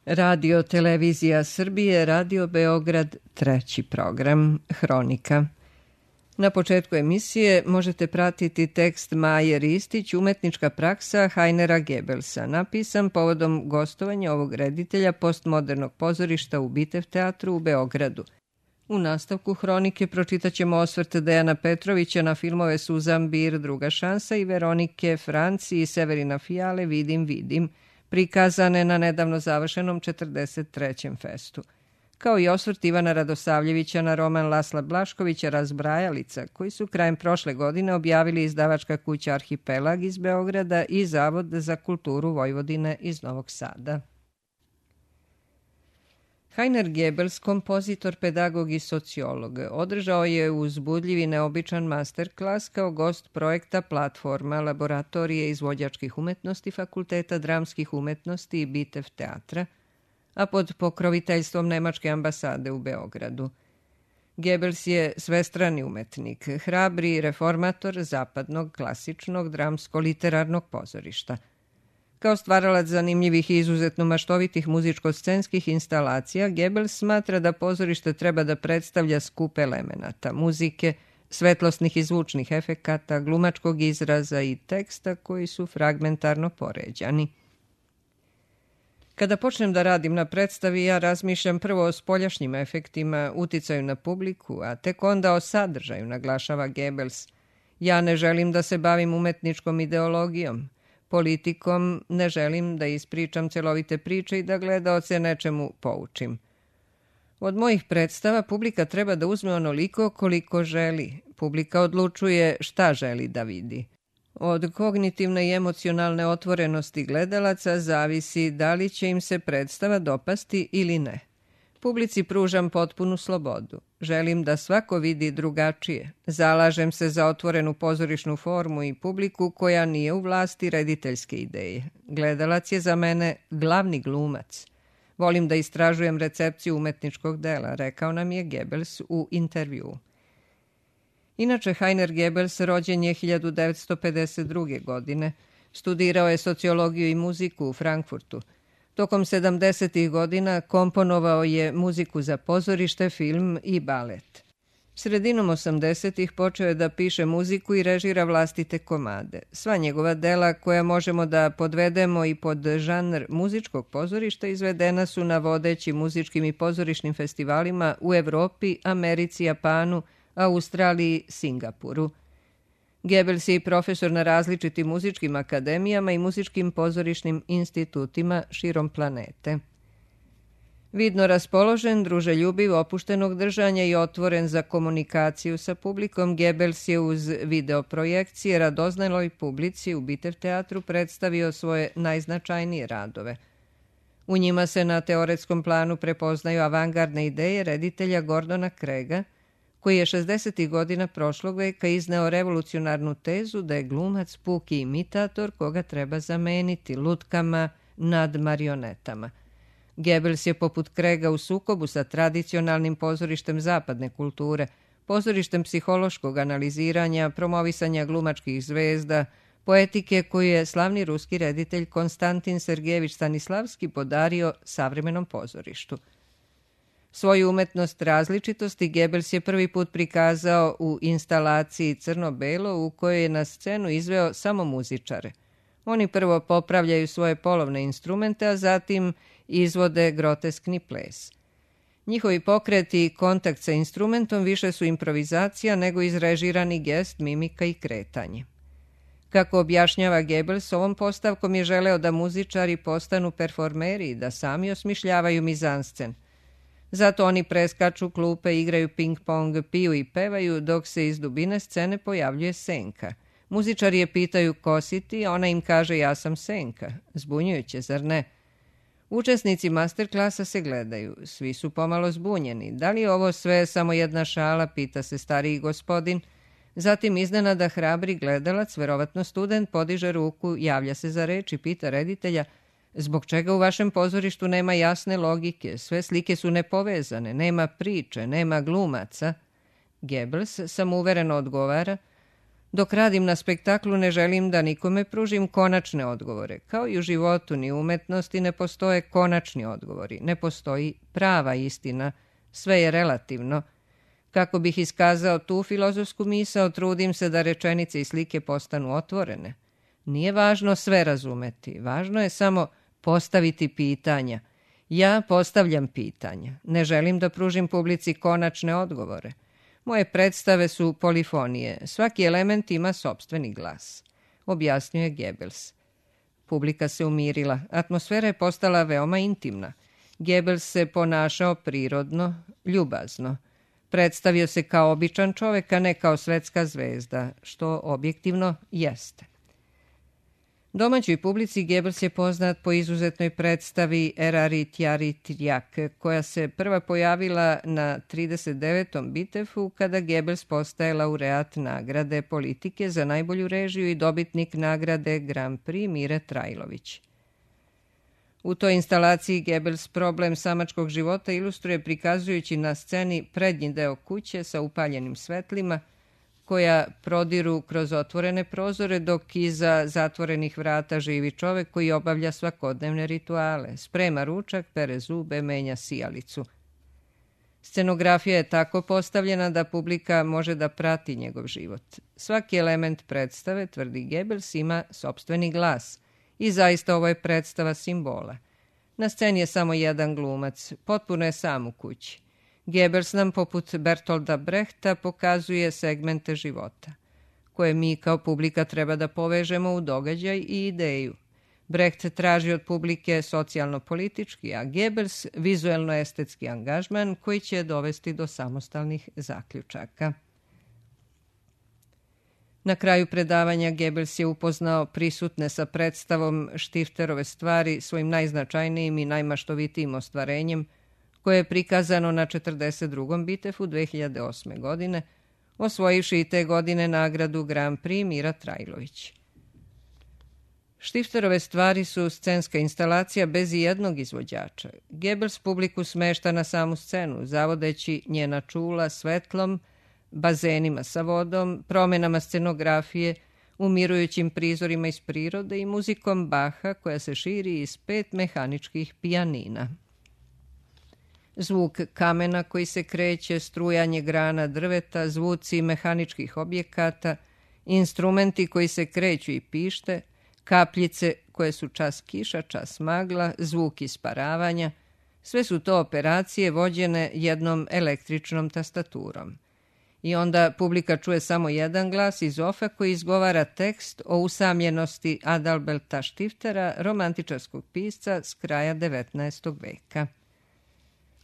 Radio Televizija Srbije, Radio Beograd, treći program, Hronika. Na početku emisije možete pratiti tekst Maje Ristić, Umetnička praksa Heinera Goebbelsa, napisan povodom gostovanja ovog reditelja postmodernog pozorišta u Bitev teatru u Beogradu. U nastavku Hronike pročitaćemo osvrt Dejana Petrovića na filmove Suzan Bir, Druga šansa i Veronike Franci i Severina Fijale Vidim, prikazane na nedavno završenom 43. festu, kao i osvrt Ivana Radosavljevića na roman Lasla Blaškovića Razbrajalica, koji su krajem prošle godine objavili izdavačka kuća Arhipelag iz Beograda i Zavod za kulturu Vojvodine iz Novog Sada. Heiner Goebbels, kompozitor, pedagog i sociolog, održao je uzbudljiv i neobičan masterklas kao gost projekta Platforma, laboratorije izvođačkih umetnosti Fakulteta dramskih umetnosti i Bitev teatra, a pod pokroviteljstvom Nemačke ambasade u Beogradu. Goebbels je svestrani umetnik, hrabri reformator zapadnog, klasičnog, dramsko-literarnog pozorišta. Kao stvaralac zanimljivih i izuzetno maštovitih muzičko-scenskih instalacija, Goebbels smatra da pozorište treba da predstavlja skup elemenata, muzike, svetlosnih i zvučnih efekata, glumačkog izraza i teksta koji su fragmentarno poređani. Kada počnem da radim na predstavi, ja razmišljam prvo o spoljašnjim efektima, uticaju na publiku, a tek onda o sadržaju, naglašava Goebbels. Ja ne želim da se bavim umetničkom ideologijom. Politikom ne želim da ispričam celovite priče i da gledaoce nečemu poučim. Od mojih predstava publika treba da uzme onoliko koliko želi. Publika odlučuje šta želi da vidi. Od kognitivne i emocionalne otvorenosti gledalaca zavisi da li će im se predstava dopasti ili ne. Publici pružam potpunu slobodu. Želim da svako vidi drugačije. Zalažem se za otvorenu pozorišnu formu i publiku koja nije u vlasti rediteljske ideje. Gledalac je za mene glavni glumac. Volim da istražujem recepciju umetničkog dela, rekao nam je Goebbels u intervjuu. Inače, Heiner Goebbels rođen je 1952. godine. Studirao je sociologiju i muziku u Frankfurtu. Tokom 70. godina komponovao je muziku za pozorište, film i balet. Sredinom 80. počeo je da piše muziku i režira vlastite komade. Sva njegova dela, koja možemo da podvedemo i pod žanr muzičkog pozorišta, izvedena su na vodećim muzičkim i pozorišnim festivalima u Evropi, Americi, Japanu, Australiji, Singapuru. Goebbels je i profesor na različitim muzičkim akademijama i muzičkim pozorišnim institutima širom planete. Vidno raspoložen, druželjubiv, opuštenog držanja i otvoren za komunikaciju sa publikom, Goebbels je uz videoprojekcije radoznaloj publici u Bitev teatru predstavio svoje najznačajnije radove. U njima se na teoretskom planu prepoznaju avangardne ideje reditelja Gordona Craiga, koji je 60. godina prošlog veka izneo revolucionarnu tezu da je glumac puki imitator koga treba zameniti lutkama nad marionetama. Goebbels je poput Craiga u sukobu sa tradicionalnim pozorištem zapadne kulture, pozorištem psihološkog analiziranja, promovisanja glumačkih zvezda, poetike koju je slavni ruski reditelj Konstantin Sergejević Stanislavski podario savremenom pozorištu. Svoju umetnost različitosti Goebbels je prvi put prikazao u instalaciji Crno-belo u kojoj je na scenu izveo samo muzičare. Oni prvo popravljaju svoje polovne instrumente, a zatim izvode groteskni ples. Njihovi pokreti i kontakt sa instrumentom više su improvizacija nego izrežirani gest, mimika i kretanje. Kako objašnjava Goebbels, ovom postavkom je želeo da muzičari postanu performeri i da sami osmišljavaju mizanscen. Zato oni preskaču klupe, igraju ping-pong, piju i pevaju, dok se iz dubine scene pojavljuje senka. Muzičari je pitaju ko si ti, a ona im kaže ja sam senka. Zbunjujuće, zar ne? Učesnici masterklasa se gledaju. Svi su pomalo zbunjeni. Da li je ovo sve samo jedna šala, pita se stariji gospodin. Zatim iznenada hrabri gledalac, verovatno student, podiže ruku, javlja se za reč i pita reditelja: zbog čega u vašem pozorištu nema jasne logike, sve slike su nepovezane, nema priče, nema glumaca? Goebbels samouvereno odgovara: Dok radim na spektaklu ne želim da nikome pružim konačne odgovore. Kao i u životu ni u umetnosti ne postoje konačni odgovori. Ne postoji prava istina. Sve je relativno. Kako bih iskazao tu filozofsku misao, trudim se da rečenice i slike postanu otvorene. Nije važno sve razumeti. Važno je samo postaviti pitanja. Ja postavljam pitanja. Ne želim da pružim publici konačne odgovore. Moje predstave su polifonije. Svaki element ima sopstveni glas, objasnio je Goebbels. Publika se umirila. Atmosfera je postala veoma intimna. Goebbels se ponašao prirodno, ljubazno. Predstavio se kao običan čovek, a ne kao svetska zvezda, što objektivno jeste. Domaćoj publici Goebbels je poznat po izuzetnoj predstavi Erari Tjari Tjak, koja se prva pojavila na 39. Bitefu kada Goebbels postaje laureat nagrade politike za najbolju režiju i dobitnik nagrade Grand Prix Mire Trajlović. U toj instalaciji Goebbels problem samačkog života ilustruje prikazujući na sceni prednji deo kuće sa upaljenim svetlima, koja prodiru kroz otvorene prozore, dok iza zatvorenih vrata živi čovek koji obavlja svakodnevne rituale, sprema ručak, pere zube, menja sijalicu. Scenografija je tako postavljena da publika može da prati njegov život. Svaki element predstave, tvrdi Goebbels, ima sopstveni glas i zaista ovo je predstava simbola. Na sceni je samo jedan glumac, potpuno je sam u kući. Goebbels nam, poput Bertolda Brehta, pokazuje segmente života, koje mi kao publika treba da povežemo u događaj i ideju. Brecht traži od publike socijalno-politički, a Goebbels vizuelno-estetski angažman koji će dovesti do samostalnih zaključaka. Na kraju predavanja Goebbels je upoznao prisutne sa predstavom Štifterove stvari, svojim najznačajnijim i najmaštovitijim ostvarenjem, koje je prikazano na 42. Bitefu 2008. godine, osvojivši i te godine nagradu Grand Prix Mira Trajlović. Štifterove stvari su scenska instalacija bez ijednog izvođača. Goebbels publiku smešta na samu scenu, zavodeći njena čula svetlom, bazenima sa vodom, promenama scenografije, umirujućim prizorima iz prirode i muzikom Baha koja se širi iz 5 mehaničkih pijanina. Zvuk kamena koji se kreće, strujanje grana drveta, zvuci mehaničkih objekata, instrumenti koji se kreću i pište, kapljice koje su čas kiša, čas magla, zvuk isparavanja, sve su to operacije vođene jednom električnom tastaturom. I onda publika čuje samo jedan glas iz ofa koji izgovara tekst o usamljenosti Adalberta Stiftera, romantičarskog pisca s kraja 19. veka.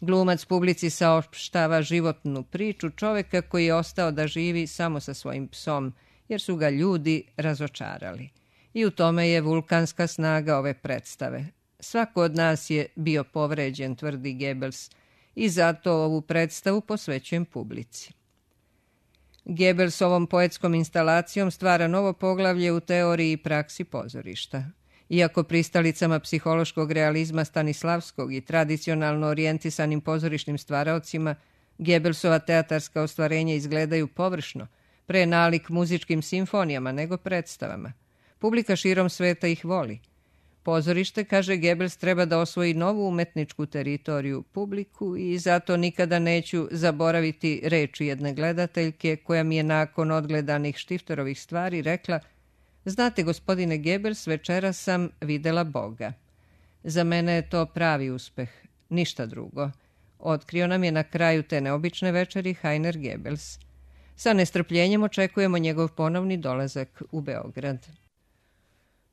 Glumac publici saopštava životnu priču čoveka koji je ostao da živi samo sa svojim psom, jer su ga ljudi razočarali. I u tome je vulkanska snaga ove predstave. Svako od nas je bio povređen, tvrdi Goebbels, i zato ovu predstavu posvećujem publici. Goebbels ovom poetskom instalacijom stvara novo poglavlje u teoriji i praksi pozorišta. Iako pristalicama psihološkog realizma Stanislavskog i tradicionalno orijentisanim pozorišnim stvaraocima, Goebbelsova teatarska ostvarenja izgledaju površno, pre nalik muzičkim simfonijama nego predstavama. Publika širom sveta ih voli. Pozorište, kaže Goebbels, treba da osvoji novu umetničku teritoriju, publiku, i zato nikada neću zaboraviti reči jedne gledateljke koja mi je nakon odgledanih Štifterovih stvari rekla: "Znate, gospodine Goebbels, večeras sam videla Boga. Za mene je to pravi uspeh, ništa drugo." Otkrio nam je na kraju te neobične večeri Heiner Goebbels. Sa nestrpljenjem očekujemo njegov ponovni dolazak u Beograd.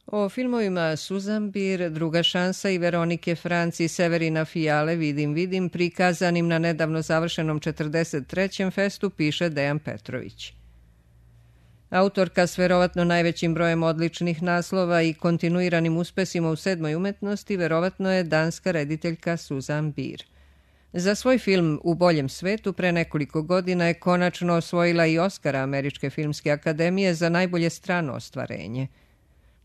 O filmovima Suzambir, Druga šansa i Veronike Franci i Severina Fijale Vidim, prikazanim na nedavno završenom 43. festu, piše Dejan Petrović. Autorka s verovatno najvećim brojem odličnih naslova i kontinuiranim uspesima u 7. umetnosti verovatno je danska rediteljka Suzan Bir. Za svoj film U boljem svetu pre nekoliko godina je konačno osvojila i Oskara Američke filmske akademije za najbolje strano ostvarenje.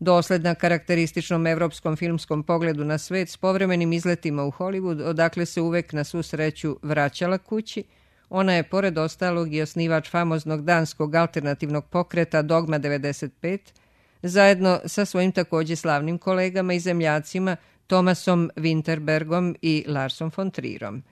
Dosledna karakterističnom evropskom filmskom pogledu na svet s povremenim izletima u Hollywood, odakle se uvek na svu sreću vraćala kući, Ona je, pored ostalog, i osnivač famoznog danskog alternativnog pokreta Dogma 95, zajedno sa svojim također slavnim kolegama i zemljacima Thomasom Winterbergom i Larsom von Trierom.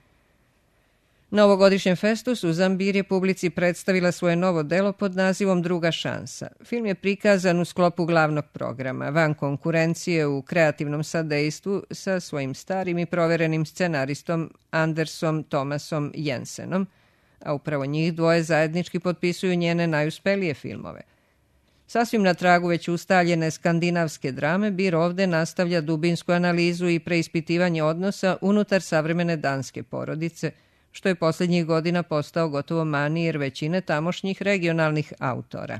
Na ovogodišnjem festu Susan Bier je publici predstavila svoje novo delo pod nazivom Druga šansa. Film je prikazan u sklopu glavnog programa, van konkurencije u kreativnom sadejstvu sa svojim starim i proverenim scenaristom Andersom Thomasom Jensenom, a upravo njih dvoje zajednički potpisuju njene najuspelije filmove. Sasvim na tragu već ustaljene skandinavske drame, Bier ovde nastavlja dubinsku analizu i preispitivanje odnosa unutar savremene danske porodice, što je posljednjih godina postao gotovo manir većine tamošnjih regionalnih autora.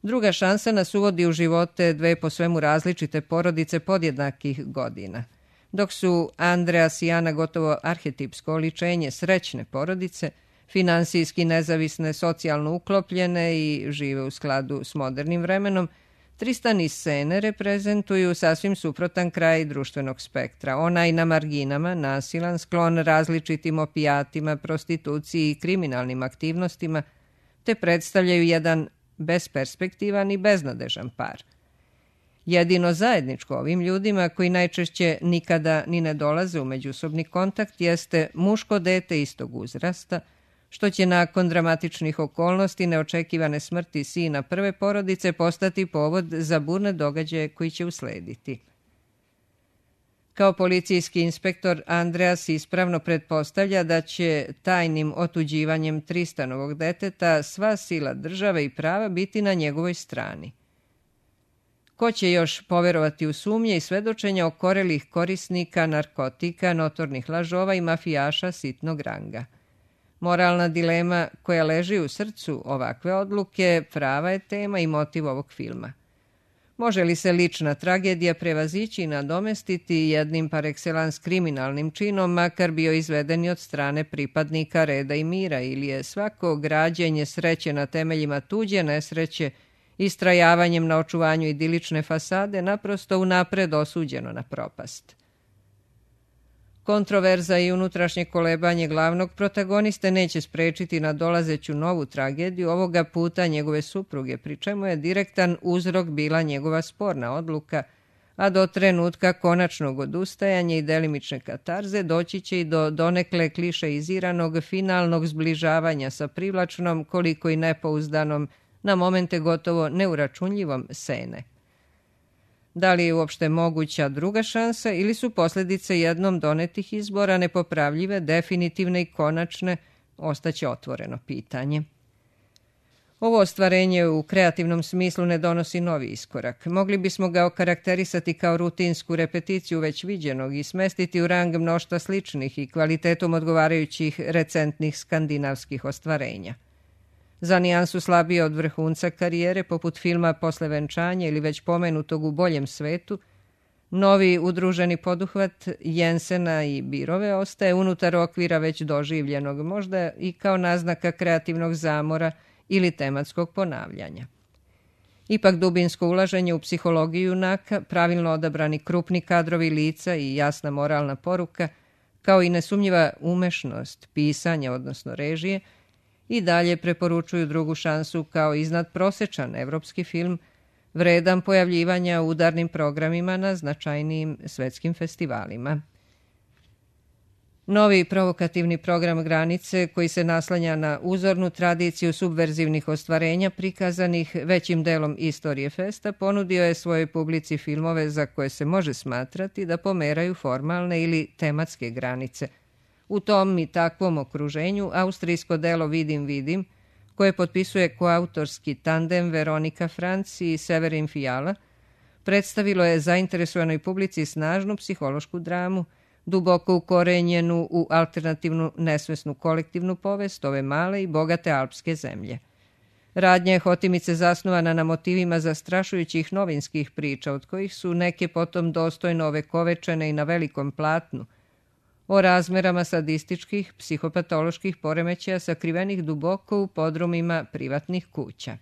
Druga šansa nas uvodi u živote dve po svemu različite porodice podjednakih godina. Dok su Andreas i Ana gotovo arhetipsko oličenje srećne porodice, finansijski nezavisne, socijalno uklopljene i žive u skladu s modernim vremenom, Tristan i Sene reprezentuju sasvim suprotan kraj društvenog spektra. Onaj na marginama, nasilan, sklon različitim opijatima, prostituciji i kriminalnim aktivnostima, te predstavljaju jedan besperspektivan i beznadežan par. Jedino zajedničko ovim ljudima, koji najčešće nikada ni ne dolaze u međusobni kontakt, jeste muško dete istog uzrasta, što će nakon dramatičnih okolnosti neočekivane smrti sina prve porodice postati povod za burne događaje koji će uslediti. Kao policijski inspektor Andreas ispravno pretpostavlja da će tajnim otuđivanjem Tristanovog deteta sva sila države i prava biti na njegovoj strani. Ko će još poverovati u sumnje i svedočenja okorelih korisnika narkotika, notornih lažova i mafijaša sitnog ranga? Moralna dilema koja leži u srcu ovakve odluke prava je tema i motiv ovog filma. Može li se lična tragedija prevazići i nadomestiti jednim par excellence kriminalnim činom, makar bio izveden i od strane pripadnika reda i mira, ili je svako građenje sreće na temeljima tuđe nesreće, istrajavanjem na očuvanju idilične fasade, naprosto unapred osuđeno na propast? Kontroverza i unutrašnje kolebanje glavnog protagoniste neće sprečiti nadolazeću novu tragediju, ovoga puta njegove supruge, pri čemu je direktan uzrok bila njegova sporna odluka, a do trenutka konačnog odustajanja i delimične katarze doći će i do donekle klišeiziranog finalnog zbližavanja sa privlačnom, koliko i nepouzdanom, na momente gotovo neuračunljivom Sene. Da li je uopšte moguća druga šansa ili su posljedice jednom donetih izbora nepopravljive, definitivne i konačne, ostaće otvoreno pitanje. Ovo ostvarenje u kreativnom smislu ne donosi novi iskorak. Mogli bismo ga okarakterisati kao rutinsku repeticiju već viđenog i smestiti u rang mnoštva sličnih i kvalitetom odgovarajućih recentnih skandinavskih ostvarenja. Za nijansu slabije od vrhunca karijere, poput filma Posle venčanja ili već pomenutog U boljem svetu, novi udruženi poduhvat Jensena i Bierove ostaje unutar okvira već doživljenog, možda i kao naznaka kreativnog zamora ili tematskog ponavljanja. Ipak dubinsko ulaženje u psihologiju junaka, pravilno odabrani krupni kadrovi lica i jasna moralna poruka, kao i nesumnjiva umešnost pisanja, odnosno režije, i dalje preporučuju drugu šansu kao iznadprosečan evropski film, vredan pojavljivanja u udarnim programima na značajnijim svetskim festivalima. Novi provokativni program Granice, koji se naslanja na uzornu tradiciju subverzivnih ostvarenja prikazanih većim delom istorije festa, ponudio je svojoj publici filmove za koje se može smatrati da pomeraju formalne ili tematske granice. U tom i takvom okruženju austrijsko delo Vidim, koje potpisuje koautorski tandem Veronika Franc i Severin Fiala, predstavilo je zainteresovanoj publici snažnu psihološku dramu, duboko ukorenjenu u alternativnu nesvesnu kolektivnu povest ove male i bogate alpske zemlje. Radnja je hotimice zasnovana na motivima zastrašujućih novinskih priča, od kojih su neke potom dostojno ovekovečene i na velikom platnu, o razmerama sadističkih, psihopatoloških poremećaja sakrivenih duboko u podrumima privatnih kuća.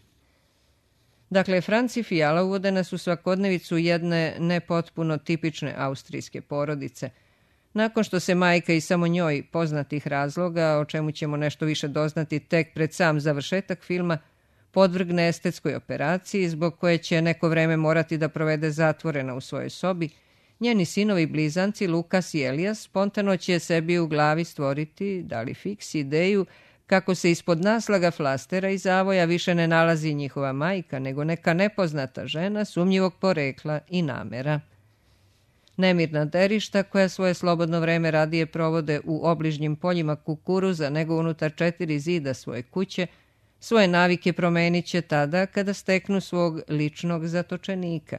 Dakle, Franc i Fiala uvode nas u svakodnevicu jedne nepotpuno tipične austrijske porodice, Nakon što se majka i samo njoj poznatih razloga, o čemu ćemo nešto više doznati tek pred sam završetak filma, podvrgne estetskoj operaciji zbog koje će neko vreme morati da provede zatvorena u svojoj sobi, njeni sinovi blizanci Lukas i Elijas spontano će sebi u glavi stvoriti, da li fiks, ideju kako se ispod naslaga flastera i zavoja više ne nalazi njihova majka, nego neka nepoznata žena sumnjivog porekla i namera. Nemirna derišta koja svoje slobodno vreme radije provode u obližnjim poljima kukuruza nego unutar 4 zida svoje kuće, svoje navike promenit će tada kada steknu svog ličnog zatočenika.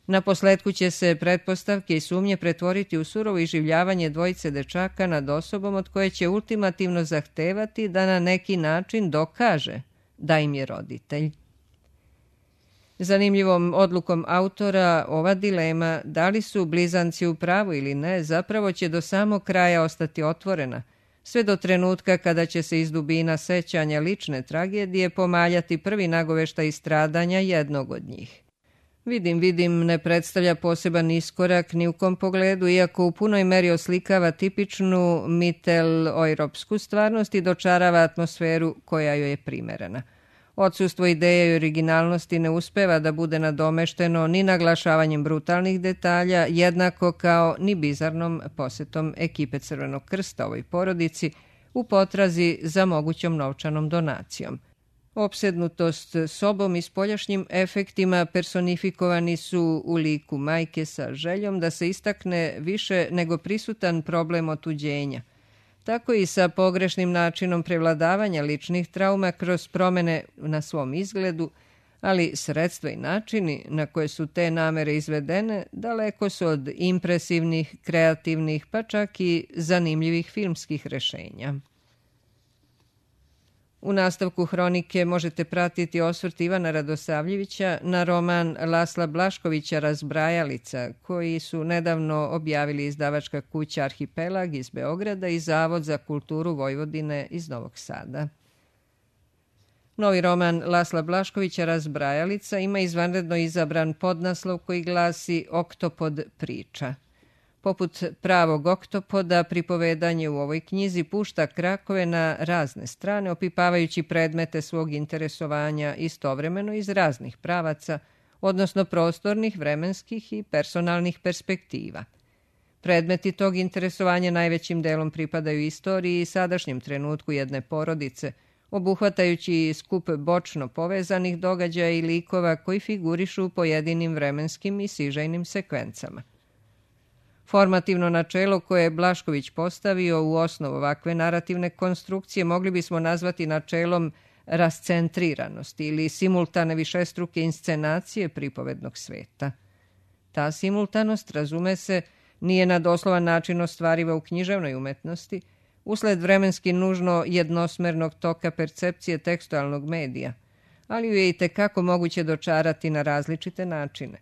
Naposletku će se pretpostavke i sumnje pretvoriti u surovo iživljavanje dvojice dečaka nad osobom od koje će ultimativno zahtevati da na neki način dokaže da im je roditelj. Zanimljivom odlukom autora ova dilema, da li su blizanci u pravu ili ne, zapravo će do samog kraja ostati otvorena, sve do trenutka kada će se iz dubina sećanja lične tragedije pomaljati prvi nagoveštaj stradanja jednog od njih. Vidim, ne predstavlja poseban iskorak ni u kom pogledu, iako u punoj meri oslikava tipičnu mittel-ojropsku stvarnost i dočarava atmosferu koja joj je primerena. Odsustvo ideje i originalnosti ne uspeva da bude nadomešteno ni naglašavanjem brutalnih detalja, jednako kao ni bizarnom posetom ekipe Crvenog krsta ovoj porodici u potrazi za mogućom novčanom donacijom. Opsednutost sobom i spoljašnjim efektima personifikovani su u liku majke sa željom da se istakne više nego prisutan problem otuđenja. Tako i sa pogrešnim načinom prevladavanja ličnih trauma kroz promene na svom izgledu, ali sredstva i načini na koje su te namere izvedene daleko su od impresivnih, kreativnih, pa čak i zanimljivih filmskih rešenja. U nastavku hronike možete pratiti osvrt Ivana Radosavljevića na roman Lasla Blaškovića Razbrajalica, koji su nedavno objavili izdavačka kuća Arhipelag iz Beograda i Zavod za kulturu Vojvodine iz Novog Sada. Novi roman Lasla Blaškovića Razbrajalica ima izvanredno izabran podnaslov koji glasi Oktopod priča. Poput pravog oktopoda, pripovedanje u ovoj knjizi pušta krakove na razne strane, opipavajući predmete svog interesovanja istovremeno iz raznih pravaca, odnosno prostornih, vremenskih i personalnih perspektiva. Predmeti tog interesovanja najvećim delom pripadaju istoriji i sadašnjem trenutku jedne porodice, obuhvatajući skup bočno povezanih događaja i likova koji figurišu u pojedinim vremenskim i sižajnim sekvencama. Formativno načelo koje je Blašković postavio u osnovu ovakve narativne konstrukcije mogli bismo nazvati načelom rascentriranosti ili simultane višestruke inscenacije pripovednog sveta. Ta simultanost, razume se, nije na doslovan način ostvariva u književnoj umetnosti, usled vremenski nužno jednosmernog toka percepcije tekstualnog medija, ali ju je i tekako moguće dočarati na različite načine.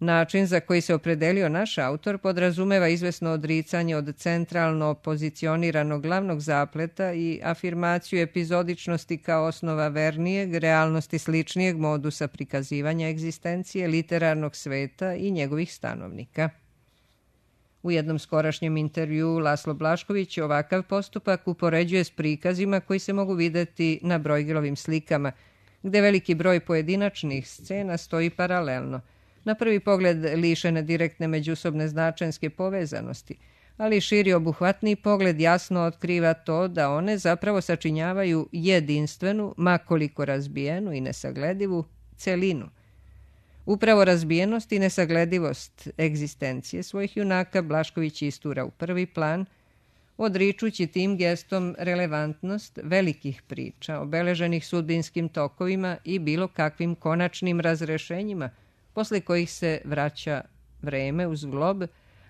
Način za koji se opredelio naš autor podrazumeva izvesno odricanje od centralno pozicioniranog glavnog zapleta i afirmaciju epizodičnosti kao osnova vernijeg, realnosti sličnijeg modusa prikazivanja egzistencije literarnog sveta i njegovih stanovnika. U jednom skorašnjem intervjuu Laslo Blašković ovakav postupak upoređuje s prikazima koji se mogu videti na Brojgilovim slikama, gde veliki broj pojedinačnih scena stoji paralelno, na prvi pogled lišene direktne međusobne značenske povezanosti, ali širi obuhvatni pogled jasno otkriva to da one zapravo sačinjavaju jedinstvenu, makoliko razbijenu i nesagledivu celinu. Upravo razbijenost i nesagledivost egzistencije svojih junaka Blašković istura u prvi plan, odričući tim gestom relevantnost velikih priča, obeleženih sudbinskim tokovima i bilo kakvim konačnim razrešenjima, posle kojih se vraća vreme uz glob,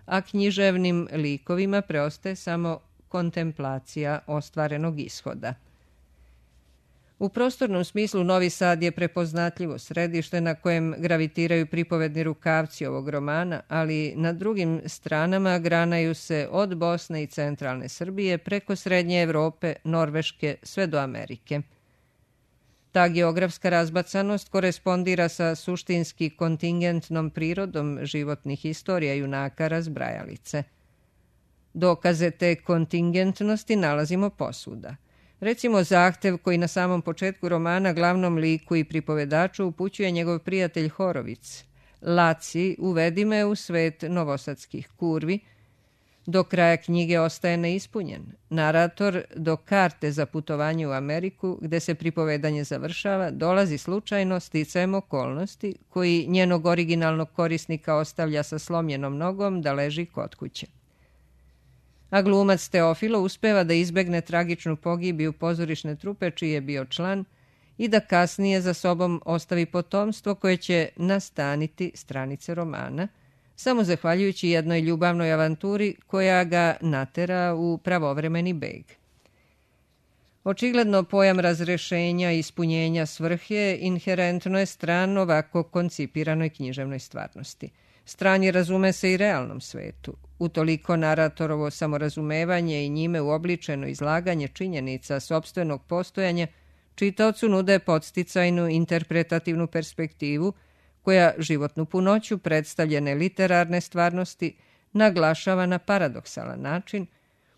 a književnim likovima preostaje samo kontemplacija ostvarenog ishoda. U prostornom smislu Novi Sad je prepoznatljivo središte na kojem gravitiraju pripovedni rukavci ovog romana, ali na drugim stranama granaju se od Bosne i centralne Srbije preko Srednje Evrope, Norveške sve do Amerike. Ta geografska razbacanost korespondira sa suštinski kontingentnom prirodom životnih istorija junaka Razbrajalice. Dokaze te kontingentnosti nalazimo posvuda. Recimo zahtev koji na samom početku romana glavnom liku i pripovedaču upućuje njegov prijatelj Horovic. Laci, uvedi me u svet novosadskih kurvi. Do kraja knjige ostaje neispunjen. Narator do karte za putovanje u Ameriku, gde se pripovedanje završava, dolazi slučajno sticajem okolnosti koji njenog originalnog korisnika ostavlja sa slomljenom nogom da leži kod kuće. A glumac Teofilo uspeva da izbegne tragičnu pogibiju pozorišne trupe čiji je bio član i da kasnije za sobom ostavi potomstvo koje će nastaniti stranice romana, samo zahvaljujući jednoj ljubavnoj avanturi koja ga natera u pravovremeni beg. Očigledno pojam razrešenja i ispunjenja svrhe inherentno je stran ovako koncipiranoj književnoj stvarnosti. Stran je, razume se, i realnom svetu. Utoliko naratorovo samorazumevanje i njime uobličeno izlaganje činjenica sopstvenog postojanja čitaocu nude podsticajnu interpretativnu perspektivu koja životnu punoću predstavljene literarne stvarnosti naglašava na paradoksalan način,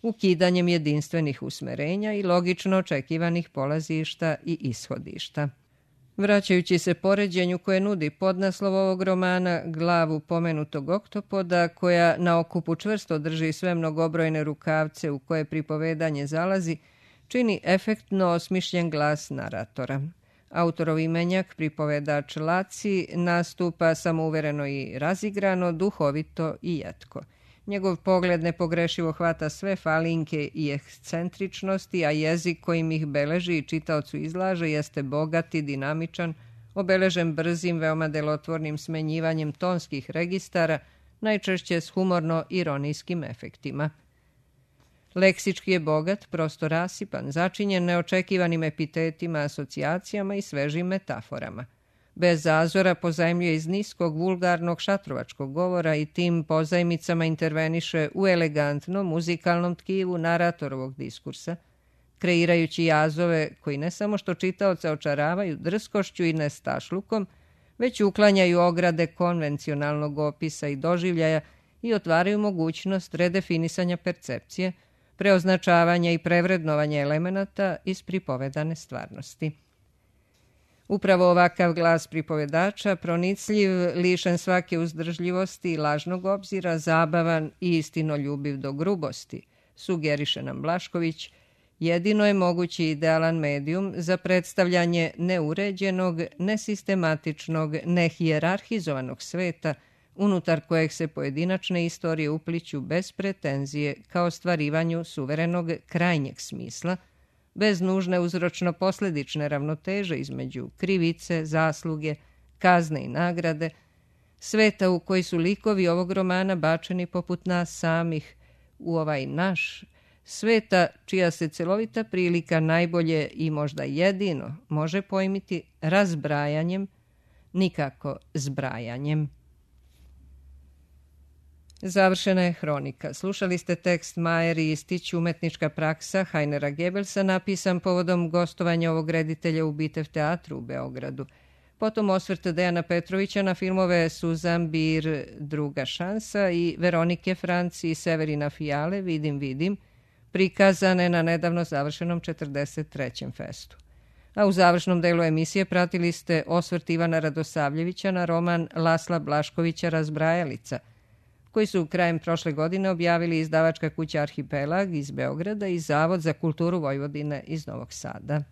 ukidanjem jedinstvenih usmerenja i logično očekivanih polazišta i ishodišta. Vraćajući se poređenju koje nudi podnaslov ovog romana, glavu pomenutog oktopoda, koja na okupu čvrsto drži sve mnogobrojne rukavce u koje pripovedanje zalazi, čini efektno osmišljen glas naratora. Autorov imenjak, pripovedač Laci, nastupa samouvereno i razigrano, duhovito i jetko. Njegov pogled nepogrešivo hvata sve falinke i ekscentričnosti, a jezik kojim ih beleži i čitaocu izlaže jeste bogat i dinamičan, obeležen brzim, veoma delotvornim smenjivanjem tonskih registara, najčešće s humorno-ironijskim efektima. Leksički je bogat, prosto rasipan, začinjen neočekivanim epitetima, asocijacijama i svežim metaforama. Bez zazora pozajmljuje iz niskog, vulgarnog šatrovačkog govora i tim pozajmicama interveniše u elegantnom muzikalnom tkivu naratorovog diskursa, kreirajući jazove koji ne samo što čitaoca očaravaju drskošću i nestašlukom, već uklanjaju ograde konvencionalnog opisa i doživljaja i otvaraju mogućnost redefinisanja percepcije, preoznačavanja i prevrednovanja elemenata iz pripovedane stvarnosti. Upravo ovakav glas pripovedača, pronicljiv, lišen svake uzdržljivosti i lažnog obzira, zabavan i istinoljubiv do grubosti, sugeriše nam Blašković, jedino je mogući idealan medijum za predstavljanje neuređenog, nesistematičnog, nehijerarhizovanog sveta, unutar kojeg se pojedinačne istorije upliću bez pretenzije ka ostvarivanju suverenog krajnjeg smisla, bez nužne uzročno-posledične ravnoteže između krivice, zasluge, kazne i nagrade, sveta u koji su likovi ovog romana bačeni poput nas samih u ovaj naš, sveta čija se celovita prilika najbolje i možda jedino može pojmiti razbrajanjem, nikako zbrajanjem. Završena je hronika. Slušali ste tekst Majer i Istić, umetnička praksa Hajnera Gebelsa, napisan povodom gostovanja ovog reditelja u Bitev teatru u Beogradu. Potom osvrt Dejana Petrovića na filmove Suzan Bir, Druga šansa i Veronike Franci i Severina Fijale, Vidim, prikazane na nedavno završenom 43. festu. A u završnom delu emisije pratili ste osvrt Ivana Radosavljevića na roman Lasla Blaškovića Razbrajalica, koji su krajem prošle godine objavili izdavačka kuća Arhipelag iz Beograda i Zavod za kulturu Vojvodine iz Novog Sada.